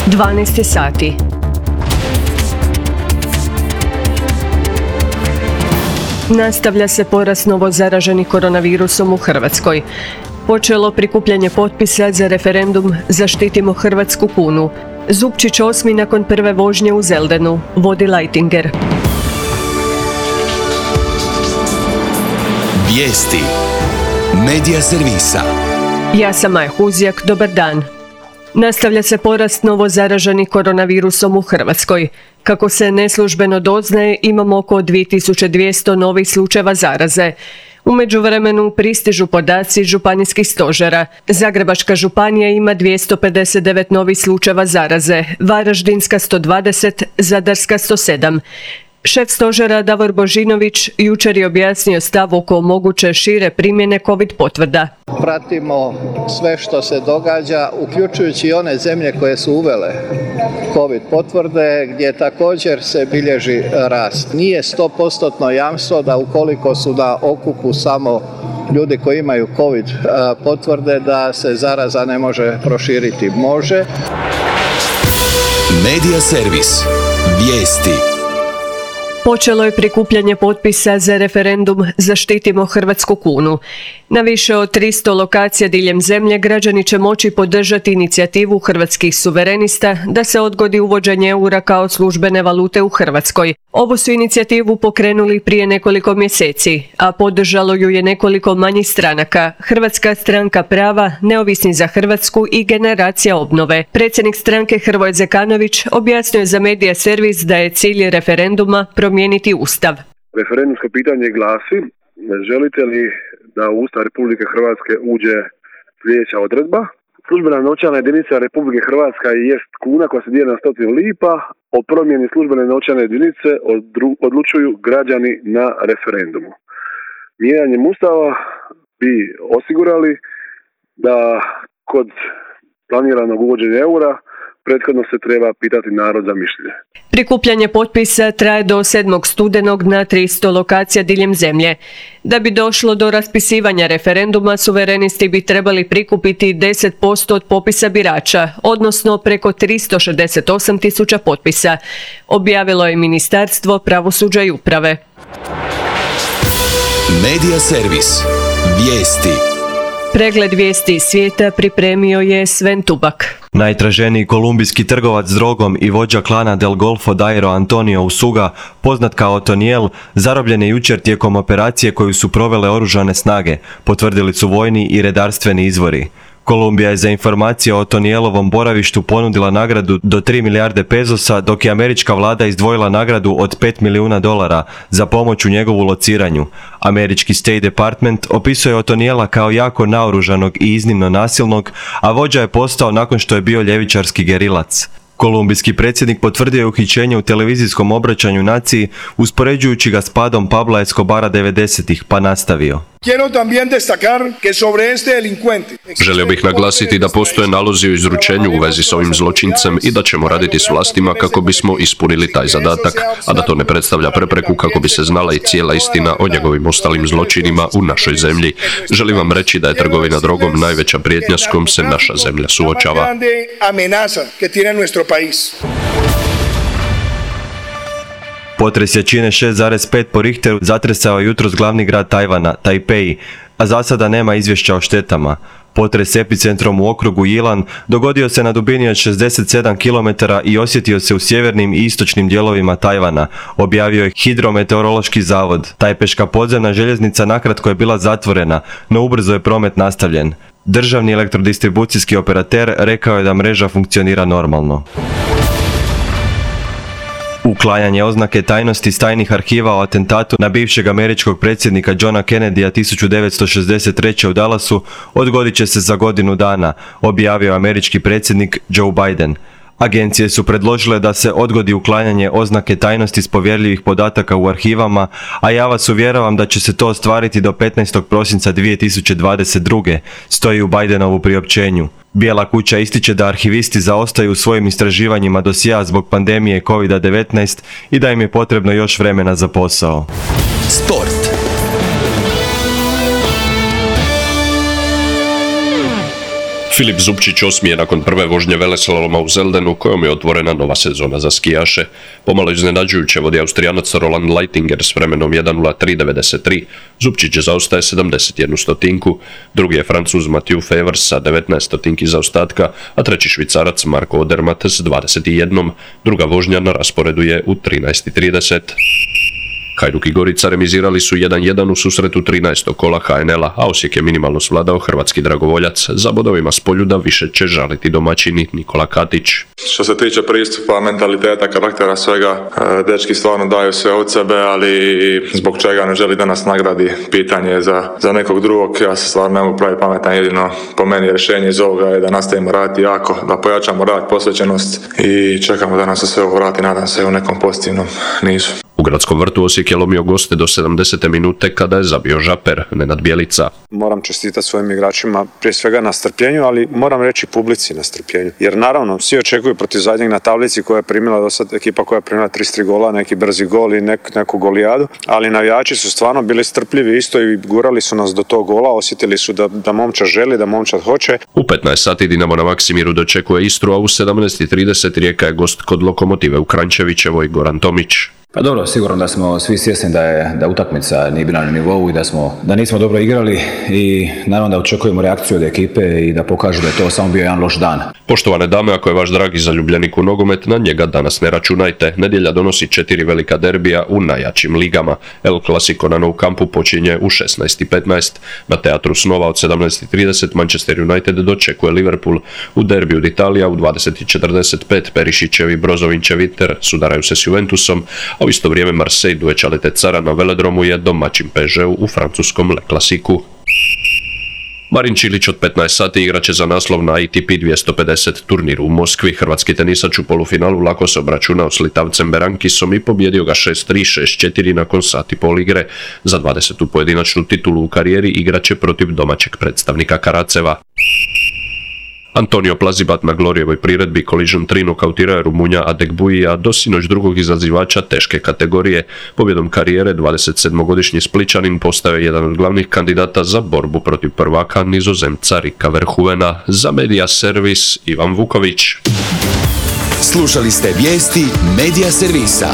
12 sati. Nastavlja se porast novo zaraženih koronavirusom u Hrvatskoj. Počelo prikupljanje potpisa za referendum Zaštitimo hrvatsku kunu. Zupčić 8. nakon prve vožnje u Zeldenu, vodi Lajtinger. Vijesti. Medija servisa. Ja sam Maja Huzjak, dobar dan. Nastavlja se porast novo zaraženih koronavirusom u Hrvatskoj. Kako se neslužbeno doznaje, imamo oko 2200 novih slučajeva zaraze. U međuvremenu pristižu podaci županijskih stožera. Zagrebačka županija ima 259 novih slučajeva zaraze, Varaždinska 120, Zadarska 107. Šef stožera Davor Božinović jučer je objasnio stav oko moguće šire primjene COVID potvrda. Pratimo sve što se događa, uključujući i one zemlje koje su uvele COVID potvrde, gdje također se bilježi rast. Nije 100% jamstvo da ukoliko su na okupu samo ljudi koji imaju COVID potvrde, da se zaraza ne može proširiti. Može. Medija servis. Vijesti. Počelo je prikupljanje potpisa za referendum Zaštitimo hrvatsku kunu. Na više od 300 lokacija diljem zemlje građani će moći podržati inicijativu hrvatskih suverenista da se odgodi uvođenje eura kao službene valute u Hrvatskoj. Ovu su inicijativu pokrenuli prije nekoliko mjeseci, a podržalo ju je nekoliko manjih stranaka: Hrvatska stranka prava, Neovisni za Hrvatsku i Generacija obnove. Predsjednik stranke Hrvoje Zekanović objasnio je za Medija servis da je cilj referenduma promijeniti Ustav. Referendumsko pitanje glasi: želite li da u Ustav Republike Hrvatske uđe sljedeća odredba? Službena novčana jedinica Republike Hrvatska jest kuna koja se dijeli na 100 lipa. O promjeni službene novčane jedinice odlučuju građani na referendumu. Mijenjanjem Ustava bi osigurali da kod planiranog uvođenja eura prethodno se treba pitati narod za mišljenje. Prikupljanje potpisa traje do 7. studenog na 300 lokacija diljem zemlje. Da bi došlo do raspisivanja referenduma, suverenisti bi trebali prikupiti 10% od popisa birača, odnosno preko 368.000 potpisa, objavilo je Ministarstvo pravosuđa i uprave. Medija servis. Vijesti. Pregled vijesti iz svijeta pripremio je Sven Tubak. Najtraženiji kolumbijski trgovac s drogom i vođa klana Del Golfo Dairo Antonio Usuga, poznat kao Otoniel, zarobljen je jučer tijekom operacije koju su provele oružane snage, potvrdili su vojni i redarstveni izvori. Kolumbija je za informacije o Otonielovom boravištu ponudila nagradu do 3 milijarde pezosa, dok je američka vlada izdvojila nagradu od $5 milijuna za pomoć u njegovu lociranju. Američki State Department opisuje Otoniela kao jako naoružanog i iznimno nasilnog, a vođa je postao nakon što je bio ljevičarski gerilac. Kolumbijski predsjednik potvrdio je uhićenje u televizijskom obraćanju naciji, uspoređujući ga s padom Pabla Escobara 90-ih, pa nastavio. Želio bih naglasiti da postoje nalozi o izručenju u vezi s ovim zločincem i da ćemo raditi s vlastima kako bismo ispunili taj zadatak, a da to ne predstavlja prepreku kako bi se znala i cijela istina o njegovim ostalim zločinima u našoj zemlji. Želim vam reći da je trgovina drogom najveća prijetnja s kojom se naša zemlja suočava. Potres jačine 6,5 po Richteru zatresao je jutros glavni grad Tajvana, Tajpej, a za sada nema izvješća o štetama. Potres s epicentrom u okrugu Yilan dogodio se na dubini od 67 km i osjetio se u sjevernim i istočnim dijelovima Tajvana, objavio je Hidrometeorološki zavod. Tajpeška podzemna željeznica nakratko je bila zatvorena, no ubrzo je promet nastavljen. Državni elektrodistribucijski operater rekao je da mreža funkcionira normalno. Uklanjanje oznake tajnosti s tajnih arhiva o atentatu na bivšeg američkog predsjednika Johna Kennedya 1963. u Dallasu odgodit će se za godinu dana, objavio američki predsjednik Joe Biden. Agencije su predložile da se odgodi uklanjanje oznake tajnosti s povjerljivih podataka u arhivama, a ja vas uvjeravam da će se to ostvariti do 15. prosinca 2022. stoji u Bidenovu priopćenju. Bijela kuća ističe da arhivisti zaostaju u svojim istraživanjima dosjea zbog pandemije COVID-19 i da im je potrebno još vremena za posao. Sport. Filip Zupčić 8. je nakon prve vožnje veleslaloma u Zeldenu, kojom je otvorena nova sezona za skijaše. Pomalo iznenađujuće vodi Austrijanac Roland Leitinger s vremenom 1:03.93. Zupčić zaostaje 71 stotinku. Drugi je Francuz Mathieu Fevers sa 19 stotinki zaostatka, a treći Švicarac Marko Odermatt s 21. Druga vožnja na rasporedu je u 13:30. Hajduk i Gorica remizirali su 1:1 u susretu 13. kola HNL-a, a Osijek je minimalno svladao hrvatski dragovoljac. Za bodovima s Poljuda više će žaliti domaćini Nikola Katić. Što se tiče pristupa, mentaliteta, karaktera, svega, dečki stvarno daju sve od sebe, ali zbog čega ne želi da nas nagradi, pitanje je za nekog drugog. Ja se stvarno ne mogu praviti pametan, jedino po meni rješenje iz ovoga je da nastavimo raditi jako, da pojačamo rad, posvećenost i čekamo da nas se sve ovo vrati, nadam se u nekom pozitivnom nizu. U Gradskom vrtu Osijek je lomio goste do 70. minute kada je zabio Žaper, Nenad Bjelica. Moram čestitati svojim igračima prije svega na strpljenju, ali moram reći publici na strpljenju. Jer naravno, svi očekuju protiv zadnjeg na tablici koja je primila do sad ekipa koja je primila 33 gola, neki brzi gol i neku golijadu, ali navijači su stvarno bili strpljivi isto i gurali su nas do tog gola, osjetili su da momčad želi, da momčad hoće. U 15 sati Dinamo na Maksimiru dočekuje Istru, a u 17:30 Rijeka je gost kod Lokomotive u Kranjčevićevoj, Goran Tomić. Pa dobro, sigurno da smo svi svjesni da utakmica nije bila na nivou i da nismo dobro igrali i naravno da očekujemo reakciju od ekipe i da pokažu da je to samo bio jedan loš dan. Poštovane dame, ako je vaš dragi zaljubljenik u nogomet, na njega danas ne računajte. Nedjelja donosi 4 velika derbija u najjačim ligama. El Clasico na Nou Campu počinje u 16:15. Na Teatru snova od 17:30 Manchester United dočekuje Liverpool. U derbiju d'Italia u 20:45 Perišićev i Brozovinčev Inter sudaraju se s Juventusom, a u isto vrijeme Marseille Duečale Tecara na velodromu je domaćin PSG u francuskom Le Clasicu. Marin Čilić od 15 sati igraće za naslov na ATP 250 turniru u Moskvi. Hrvatski tenisač u polufinalu lako se obračunao s Litavcem Berankisom i pobjedio ga 6-3, 6-4 nakon sat i pol igre. Za 20. pojedinačnu titulu u karijeri igraće protiv domaćeg predstavnika Karaceva. Antonio Plazibat na Glorijevoj priredbi Collision 3 nokautirao je Rumunja Adegbuija do sinoć drugog izazivača teške kategorije. Pobjedom karijere 27-godišnji Spličanin postao je jedan od glavnih kandidata za borbu protiv prvaka Nizozemca Rika Verhoevena. Za Media Servis Ivan Vuković. Slušali ste vijesti Media Servisa.